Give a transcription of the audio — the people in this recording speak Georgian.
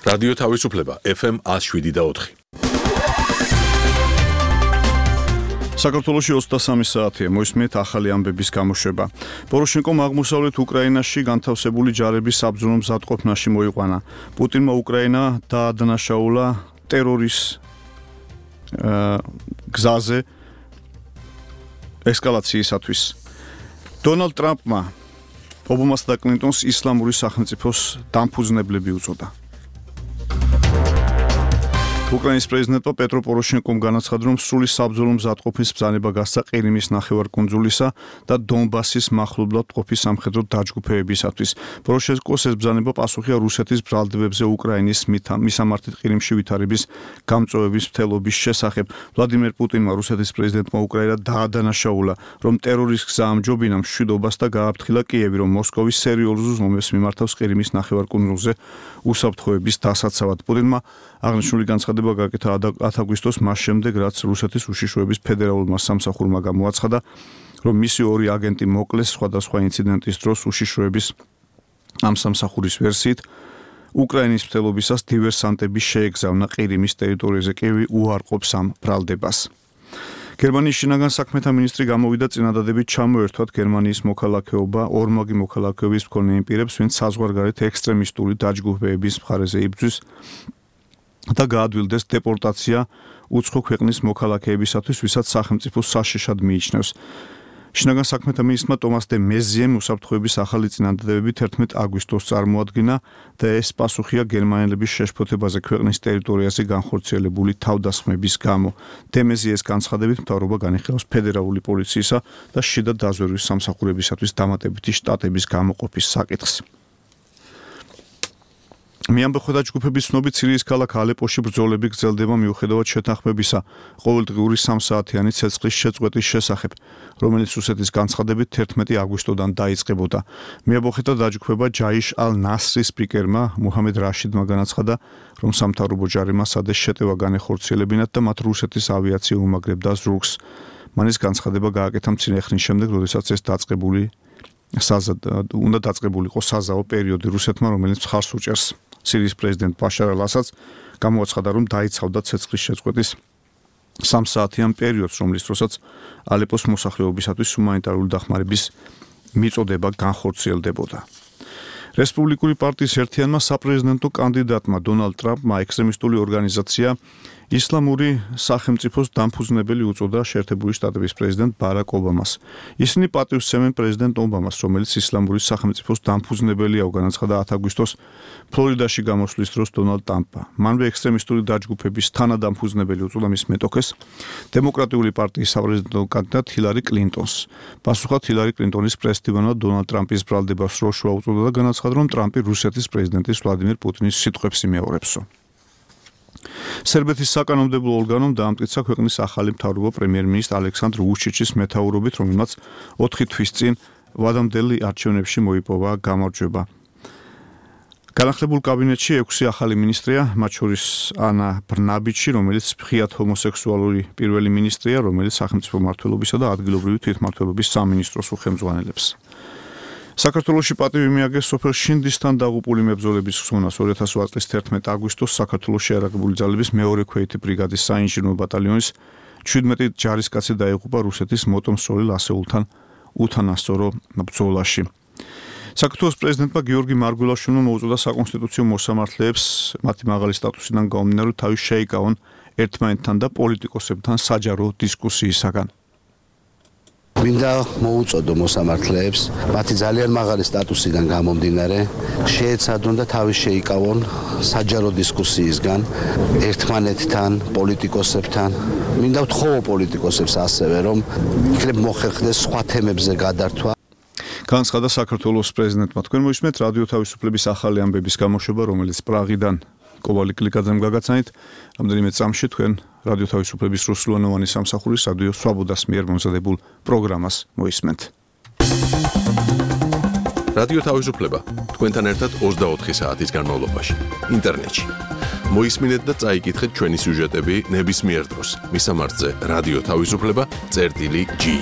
რადიო თავისუფლება FM 107.4. საქართველოში 23 საათია მოისმენთ ახალი ამბების გამოშვება. პოროშენკომ აღმოსავლეთ უკრაინაში განთავსებული ჯარების საბრძოლო მზადყოფნაში მოიყვანა. პუტინმა უკრაინა დაადანაშაულა ტერორის გზაზე ესკალაციისათვის. დონალდ ტრამპმა ობამასა და კლინტონს ისლამური სახელმწიფოს დამფუძნებლები უწოდა. უკრაინის პრეზიდენტმა პეტრო პოროშენკომ განაცხადა, რომ სრული საბრძოლო მზადყოფნის ბრძანება გასცა ყირიმის ნახევარკუნძულისა და დონბასის მახლობლად მყოფი სამხედრო დაჯგუფებებისათვის. პოროშენკოს ეს ბრძანება პასუხია რუსეთის ბრალდებებზე უკრაინის მისამართით ყირიმში ვითარების გამწვევების მცდელობის შესახებ. ვლადიმერ პუტინმა რუსეთის პრეზიდენტმა უკრაინა დაადანაშაულა, რომ ტერორის გზა ამჯობინა მშვიდობას და გააფრთხილა კიევი, რომ მოსკოვის სერიოზულ ზომებს მიმართავს ყირიმის ნახევარკუნძულზე უსაფრთხოების დასაცავად. პუტინმა აღნიშნული განცხადება გაკეთა 10 აგვისტოს მას შემდეგ, რაც რუსეთის უშიშროების ფედერალურმა სამსახურმა გამოაცხადა, რომ მისი ორი აგენტი მოკლეს სხვადასხვა ინციდენტის დროს უშიშროების ამ სამსახურის ვერსიით. უკრაინის მცდელობისას დივერსანტები შეეგზავნა ყირიმის ტერიტორიაზე, კიევი უარყოფს ამ ბრალდებას. გერმანიის შინაგან საქმეთა მინისტრი გამოვიდა წინადადებით ჩამოერთვათ გერმანიის მოქალაქეობა ორმაგი მოქალაქეობის მქონე იმ პირებს, ვინც საზღვარგარეთ ექსტრემისტული დაჯგუფებების მხარეზე იბრძვის და გაადვილდეს დეპორტაცია უცხო ქვეყნის მოქალაქეებისათვის, ვისაც სახელმწიფო საშიშად მიიჩნევს. შინაგან საქმეთა მინისტრმა ტომას დე მეზიემ უსაფრთხოების ახალი წინადადებები 11 აგვისტოს წარმოადგინა და ეს პასუხია გერმანელების შეშფოთებაზე ქვეყნის ტერიტორიაზე განხორციელებული თავდასხმების გამო. დე მეზიეს განცხადებით მთავრობა განიხილავს ფედერალური პოლიციისა და შიდა დაზვერვის სამსახურებისათვის დამატებითი შტატების გამოყოფის საკითხს. მიამბოხდა ჯგუფების ცნობით სირიის ქალაქ ალეპოში ბრძოლები გრძელდება მიუხედავად შეთანხმებისა ყოველდღიური 3 საათიანი ცეცხლის შეწყვეტის შესახებ, რომელიც რუსეთის განცხადებით 11 აგვისტოდან დაიწყებოდა. მიამბოხდა დაჯგუფება ჯაიშ ალ-ნასრის სპიკერმა მუჰამედ რაშიდმა განაცხადა, რომ სამთავრობო ჯარებმა სადეს შეტევა განეხორციელებინათ და მათ რუსეთის ავიაცია უმაგრებდა ზურგს. მან ეს განცხადება გააკეთა მცირე ხნის შემდეგ, როდესაც ეს უნდა დაწყებულიყო საზაო პერიოდი რუსეთმა, რომელიც მხარს უჭერს სირიის პრეზიდენტ ბაშარ ალ-ასადს, გამოაცხადა, რომ დაიცავდა ცეცხლის შეწყვეტის 3 საათიან პერიოდს, რომლის დროსაც ალეპოს მოსახლეობისათვის ჰუმანიტარული დახმარების მიწოდება განხორციელდებოდა. რესპუბლიკური პარტიის ერთიანმა საპრეზიდენტო კანდიდატმა დონალდ ტრამპმა ექსტრემისტული ორგანიზაცია ისლამური სახელმწიფოს დამფუძნებელი უწოდა შეერთებული შტატების პრეზიდენტ ბარაკ ობამას. ისინი პატივს სცემენ პრეზიდენტ ობამას, რომელიც ისლამური სახელმწიფოს დამფუძნებელია, განაცხადა 10 აგვისტოს ფლორიდაში გამოსვლის დროს დონალდ ტრამპმა. მანვე ექსტრემისტული დაჯგუფების თანადამფუძნებელი უწოდა მის მეტოქეს, დემოკრატიული პარტიის საპრეზიდენტო კანდიდატ ჰილარი კლინტონს. პასუხად ჰილარი კლინტონის პრესდივანმა დონალდ ტრამპის ბრალდებას როშვა უწოდა და განაცხადა, რომ ტრამპი რუსეთის პრეზიდენტის ვლადიმერ პუტინის სიტყვებს იმეორებსო. სერბეთის საკანონმდებლო ორგანომ დაამტკიცა ქვეყნის ახალი მთავრობა პრემიერ-მინისტრ ალექსანდრ ვუჩიჩის მეთაურობით, რომელმაც 4 თვის წინ ვადამდელი არჩევნებში მოიპოვა გამარჯვება. განახლებულ კაბინეტში 6 ახალი მინისტრია, მათ შორის ანა ბრნაბიჩი, რომელიც მხიად ჰომოსექსუალური პირველი მინისტრია, რომელიც სახელმწიფო მმართველობისა და ადგილობრივი თვითმმართველობის სამინისტროს უხელმძღვანელებს. საქართველოში პატივი მიაგეს სოფელ შინდისთან დაღუპული მებრძოლების ხსოვნას 2008 წლის 11 აგვისტოს საქართველოში არაღებული ძალების მეორე ქვეითი ბრიგადის საინჟინრო ბატალიონის 17 ჯარისკაცი დაიღუპა რუსეთის მოტომსროლი ასეულთან უთანასწორო ბრძოლაში. საქართველოს პრეზიდენტმა გიორგი მარგველაშვილმა მოუწოდა საკონსტიტუციო მოსამართლეებს მათი მაღალი სტატუსიდან გამომდინარე თავის შეიკავონ ერთმანეთთან და პოლიტიკოსებთან საჯარო დისკუსიისაგან. მინდა მოუწოდო მოსამართლეებს მათი ძალიან მაღალი სტატუსიდან გამომდინარე შეეცადონ და თავის შეიკავონ საჯარო დისკუსიისგან ერთმანეთთან, პოლიტიკოსებთან. მინდა ვთხოვო პოლიტიკოსებს ასევე, რომ იქნებ მოხერხდეს სხვა თემებზე გადართვა. განაცხადა საქართველოს პრეზიდენტმა. თქვენ მოისმენთ რადიო თავისუფლების ახალი ამბების გამოშვება, რომელიც პრაღიდან კოვალი კლიკაძემ გაგაცანით. რამდენიმე წამში თქვენ რადიო თავისუფლების რუსულენოვანი სამსახურის რადიო სვაბოდას მიერ მომზადებულ პროგრამას მოისმენთ. რადიო თავისუფლება თქვენთან ერთად 24 საათის განმავლობაში ინტერნეტში. მოისმინეთ და წაიკითხეთ ჩვენი სიუჟეტები ნებისმიერ დროს. მისამართზე რადიო თავისუფლება.gi